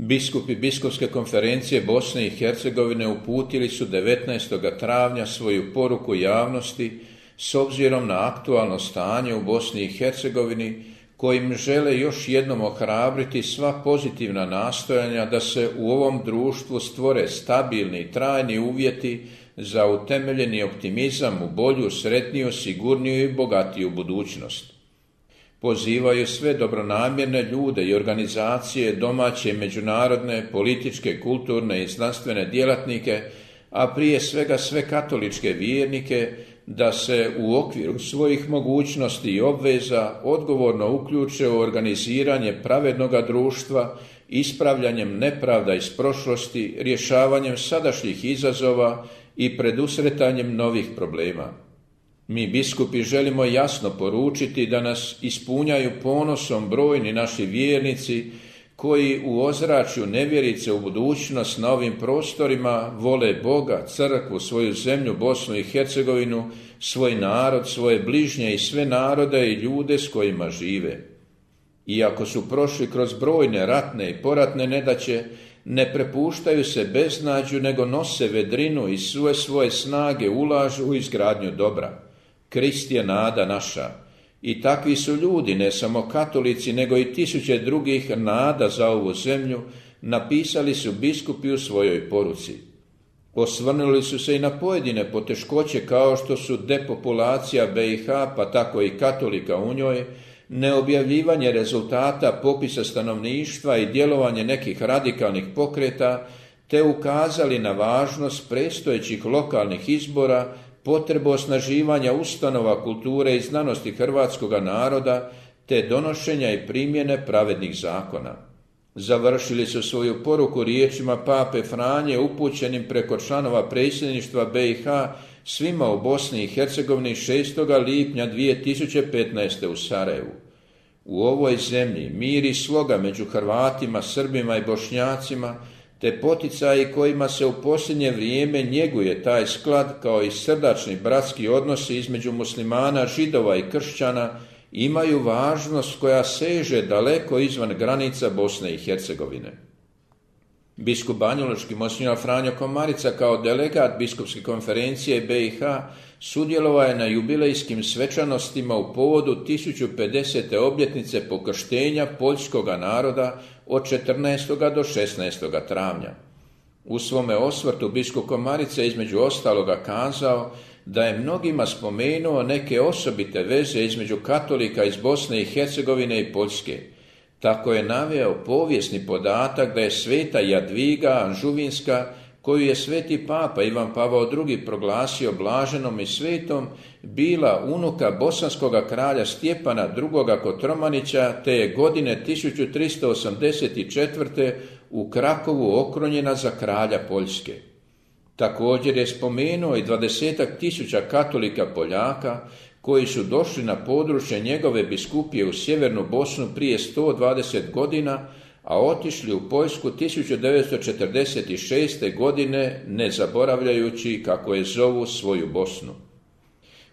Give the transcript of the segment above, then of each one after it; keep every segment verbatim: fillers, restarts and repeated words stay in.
Biskupi Biskupske konferencije Bosne i Hercegovine uputili su devetnaestog travnja svoju poruku javnosti s obzirom na aktualno stanje u Bosni i Hercegovini, kojim žele još jednom ohrabriti sva pozitivna nastojanja da se u ovom društvu stvore stabilni i trajni uvjeti za utemeljeni optimizam u bolju, sretniju, sigurniju i bogatiju budućnost. Pozivaju sve dobronamjerne ljude i organizacije, domaće i međunarodne, političke, kulturne i znanstvene djelatnike, a prije svega sve katoličke vjernike, da se u okviru svojih mogućnosti i obveza odgovorno uključe u organiziranje pravednoga društva, ispravljanjem nepravda iz prošlosti, rješavanjem sadašnjih izazova i predusretanjem novih problema. Mi biskupi želimo jasno poručiti da nas ispunjaju ponosom brojni naši vjernici koji u ozračju nevjerice u budućnost na ovim prostorima vole Boga, crkvu, svoju zemlju, Bosnu i Hercegovinu, svoj narod, svoje bližnje i sve narode i ljude s kojima žive. Iako su prošli kroz brojne ratne i poratne nedaće, ne prepuštaju se beznađu, nego nose vedrinu i sve svoje snage ulažu u izgradnju dobra. Krist je nada naša. I takvi su ljudi, ne samo katolici, nego i tisuće drugih nada za ovu zemlju, napisali su biskupi u svojoj poruci. Osvrnuli su se i na pojedine poteškoće kao što su depopulacija B i H, pa tako i katolika u njoj, neobjavljivanje rezultata popisa stanovništva i djelovanje nekih radikalnih pokreta, te ukazali na važnost predstojećih lokalnih izbora, potrebu osnaživanja ustanova kulture i znanosti hrvatskoga naroda, te donošenja i primjene pravednih zakona. Završili su svoju poruku riječima pape Franje upućenim preko članova predsjedništva B i H svima u Bosni i Hercegovini šestog lipnja dvije tisuće petnaeste. u Sarajevu. U ovoj zemlji mir i sloga među Hrvatima, Srbima i Bošnjacima, te poticaji kojima se u posljednje vrijeme njeguje taj sklad kao i srdačni bratski odnosi između muslimana, židova i kršćana, imaju važnost koja seže daleko izvan granica Bosne i Hercegovine. Biskup banjalučki monsinjor Franjo Komarica kao delegat Biskupske konferencije B i H sudjelovao je na jubilejskim svečanostima u povodu tisuću pedesete obljetnice pokrštenja poljskoga naroda od četrnaestog do šesnaestog travnja. U svome osvrtu biskup Komarica između ostaloga kazao da je mnogima spomenuo neke osobite veze između katolika iz Bosne i Hercegovine i Poljske. Tako je naveo povijesni podatak da je sveta Jadviga Anžuvinska, koju je sveti papa Ivan Pavao drugi proglasio blaženom i svetom, bila unuka bosanskoga kralja Stjepana drugoga Kotromanića, te je godine tisuću tristo osamdeset četvrte u Krakovu okronjena za kralja Poljske. Također je spomenuo i dvadesetak tisuća katolika Poljaka koji su došli na područje njegove biskupije u sjevernu Bosnu prije sto dvadeset godina, a otišli u Poljsku tisuću devetsto četrdeset šeste. godine, ne zaboravljajući, kako je zovu, svoju Bosnu.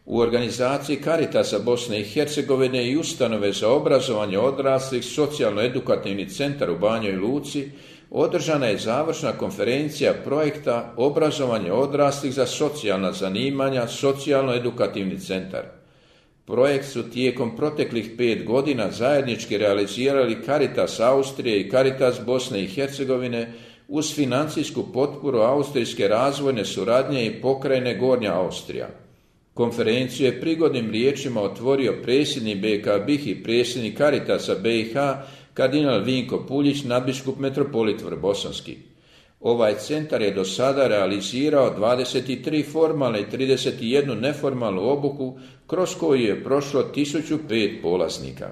U organizaciji Caritasa Bosne i Hercegovine i ustanove za obrazovanje odraslih socijalno-edukativni centar u Banjoj Luci održana je završna konferencija projekta Obrazovanje odraslih za socijalna zanimanja, socijalno-edukativni centar. Projekt su tijekom proteklih pet godina zajednički realizirali Caritas Austrije i Caritas Bosne i Hercegovine uz financijsku potporu Austrijske razvojne suradnje i pokrajine Gornja Austrija. Konferenciju je prigodnim riječima otvorio predsjednik B K B I H i predsjednik Caritasa B i H kardinal Vinko Puljić, nadbiskup metropolit Vrbosanski. Ovaj centar je do sada realizirao dvadeset tri formalne i trideset jednu neformalnu obuku, kroz koju je prošlo tisuću pet polaznika.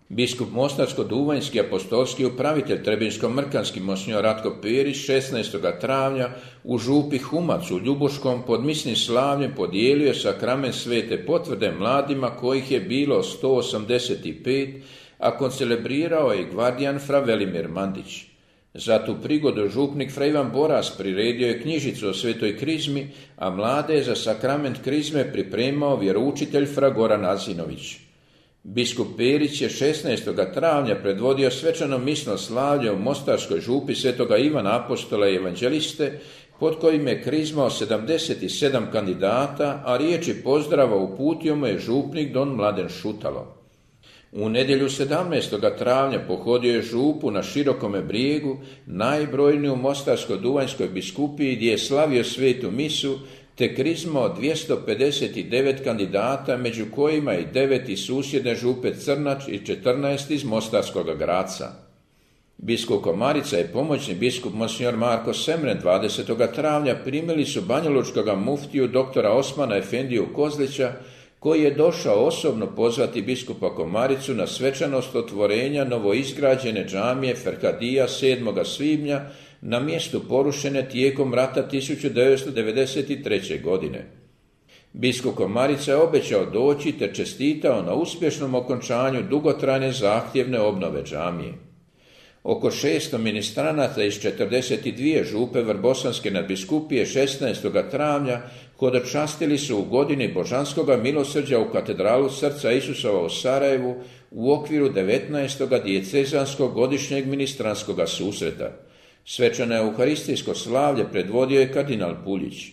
Biskup Mostarsko-Duvanjski apostolski upravitelj Trebinsko-Mrkanski monsinjor Ratko Perić šesnaestog travnja u župi Humac u Ljubuškom pod misnim slavljem podijelio je sakrament svete potvrde mladima kojih je bilo sto osamdeset pet, a koncelebrirao je gvardijan fra Velimir Mandić. Za tu prigodu župnik fra Ivan Boras priredio je knjižicu o svetoj krizmi, a mlade je za sakrament krizme pripremao vjeroučitelj fra Goran Azinović. Biskup Perić je šesnaestog travnja predvodio svečano misno slavlje u mostarskoj župi svetoga Ivana Apostola i evanđeliste, pod kojim je krizmao sedamdeset sedam kandidata, a riječi pozdrava uputio mu je župnik don Mladen Šutalo. U nedjelju sedamnaestog travnja pohodio je župu na Širokome brijegu, najbrojniju Mostarsko-duvanjskoj biskupiji, gdje je slavio svetu misu, te krizmao dvjesto pedeset devet kandidata, među kojima i devet iz susjedne župe Crnač i četrnaest iz Mostarskog Graca. Biskup Komarica i pomoćni biskup monsignor Marko Semren dvadesetog travnja primili su banjalučkoga muftiju doktora Osmana Efendiju Kozlića, koji je došao osobno pozvati biskupa Komaricu na svečanost otvorenja novoizgrađene džamije Ferkadija sedmog svibnja na mjestu porušene tijekom rata tisuću devetsto devedeset treće. godine. Biskup Komarica je obećao doći te čestitao na uspješnom okončanju dugotrajne zahtjevne obnove džamije. Oko šesto ministranata iz četrdeset dvije župe Vrbosanske nadbiskupije šesnaestog travnja hodočastili su u godini Božanskoga milosrđa u katedralu Srca Isusova u Sarajevu u okviru devetnaestog dijecezanskog godišnjeg ministranskog susreta. Svečano euharistijsko slavlje predvodio je kardinal Puljić.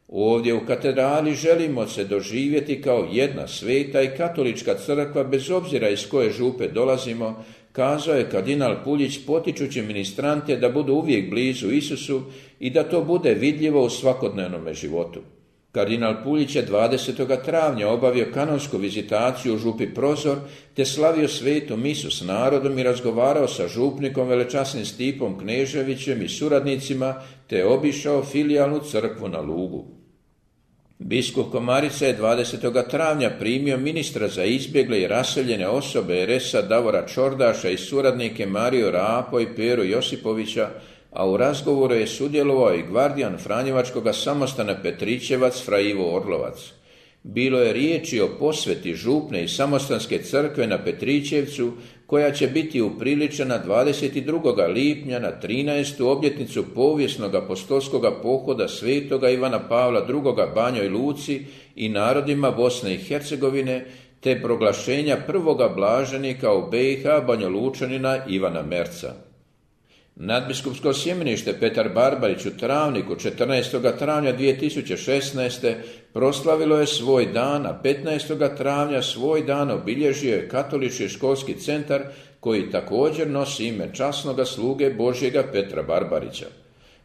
Ovdje u katedrali želimo se doživjeti kao jedna sveta i katolička crkva bez obzira iz koje župe dolazimo, kazao je kardinal Puljić potičući ministrante da budu uvijek blizu Isusu i da to bude vidljivo u svakodnevnom životu. Kardinal Puljić je dvadesetog travnja obavio kanonsku vizitaciju u župi Prozor te slavio svetu misu s narodom i razgovarao sa župnikom velečasnim Stipom Kneževićem i suradnicima te obišao filijalnu crkvu na Lugu. Biskup Komarica je dvadesetog travnja primio ministra za izbjegle i raseljene osobe er es a Davora Čordaša i suradnike Mariju Rapo i Peru Josipovića, a u razgovoru je sudjelovao i gvardijan Franjevačkoga samostana Petrićevac fra Ivo Orlovac. Bilo je riječi o posveti župne i samostanske crkve na Petrićevcu, koja će biti upriličena dvadeset drugog lipnja na trinaestu obljetnicu povijesnog apostolskog pohoda svetoga Ivana Pavla drugoga Banjoj Luci i narodima Bosne i Hercegovine, te proglašenja prvoga blaženika u be i ha Banjolučanina Ivana Merca. Nadbiskupsko sjemenište Petar Barbarić u Travniku četrnaestog travnja dvije tisuće šesnaeste. proslavilo je svoj dan, a petnaestog travnja svoj dan obilježio je Katolički školski centar, koji također nosi ime časnoga sluge Božjega Petra Barbarića.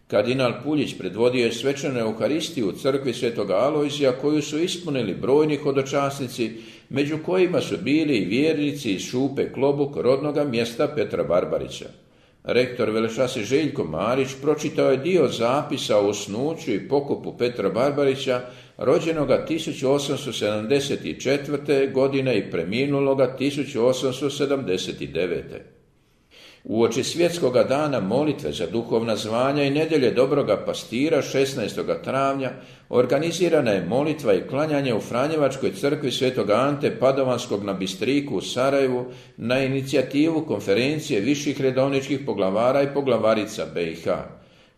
Kardinal Puljić predvodio je svečanu euharistiju u crkvi svetoga Alojzija, koju su ispunili brojni hodočasnici, među kojima su bili i vjernici iz župe Klobuk, rodnoga mjesta Petra Barbarića. Rektor velečasni Željko Marić pročitao je dio zapisa o usnuću i pokopu Petra Barbarića, rođenoga tisuću osamsto sedamdeset četvrte. godine i preminuloga tisuću osamsto sedamdeset devete. Uoči svjetskoga dana molitve za duhovna zvanja i nedjelje dobroga pastira šesnaestog travnja organizirana je molitva i klanjanje u Franjevačkoj crkvi svetoga Ante Padovanskog na Bistriku u Sarajevu na inicijativu konferencije viših redovničkih poglavara i poglavarica be i ha.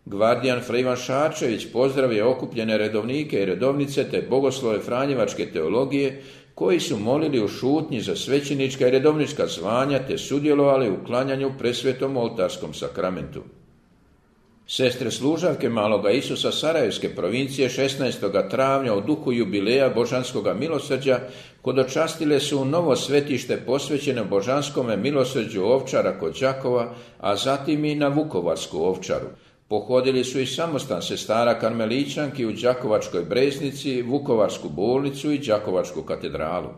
Gvardijan fra Ivan Šarčević pozdravio okupljene redovnike i redovnice te bogoslove Franjevačke teologije, koji su molili u šutnji za svećenička i redovnička zvanja te sudjelovali u klanjanju presvetom oltarskom sakramentu. Sestre služavke Maloga Isusa Sarajevske provincije šesnaestog travnja u duhu jubileja Božanskoga milosrđa hodočastile su u novo svetište posvećeno Božanskome milosrđu Ovčara kod Đakova, a zatim i na Vukovarsku Ovčaru. Pohodili su i samostan sestara karmelićanki u Đakovačkoj Breznici, Vukovarsku bolnicu i Đakovačku katedralu.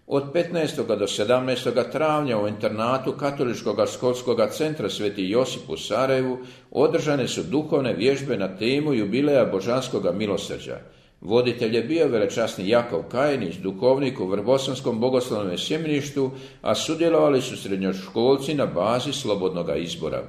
Od petnaestog do sedamnaestog travnja u internatu Katoličkog školskog centra Sveti Josip u Sarajevu održane su duhovne vježbe na temu jubileja Božanskoga milosrđa. Voditelj je bio velečasni Jakov Kajinić, duhovnik u Vrbosanskom bogoslovnom sjemeništu, a sudjelovali su srednjoškolci na bazi slobodnoga izbora.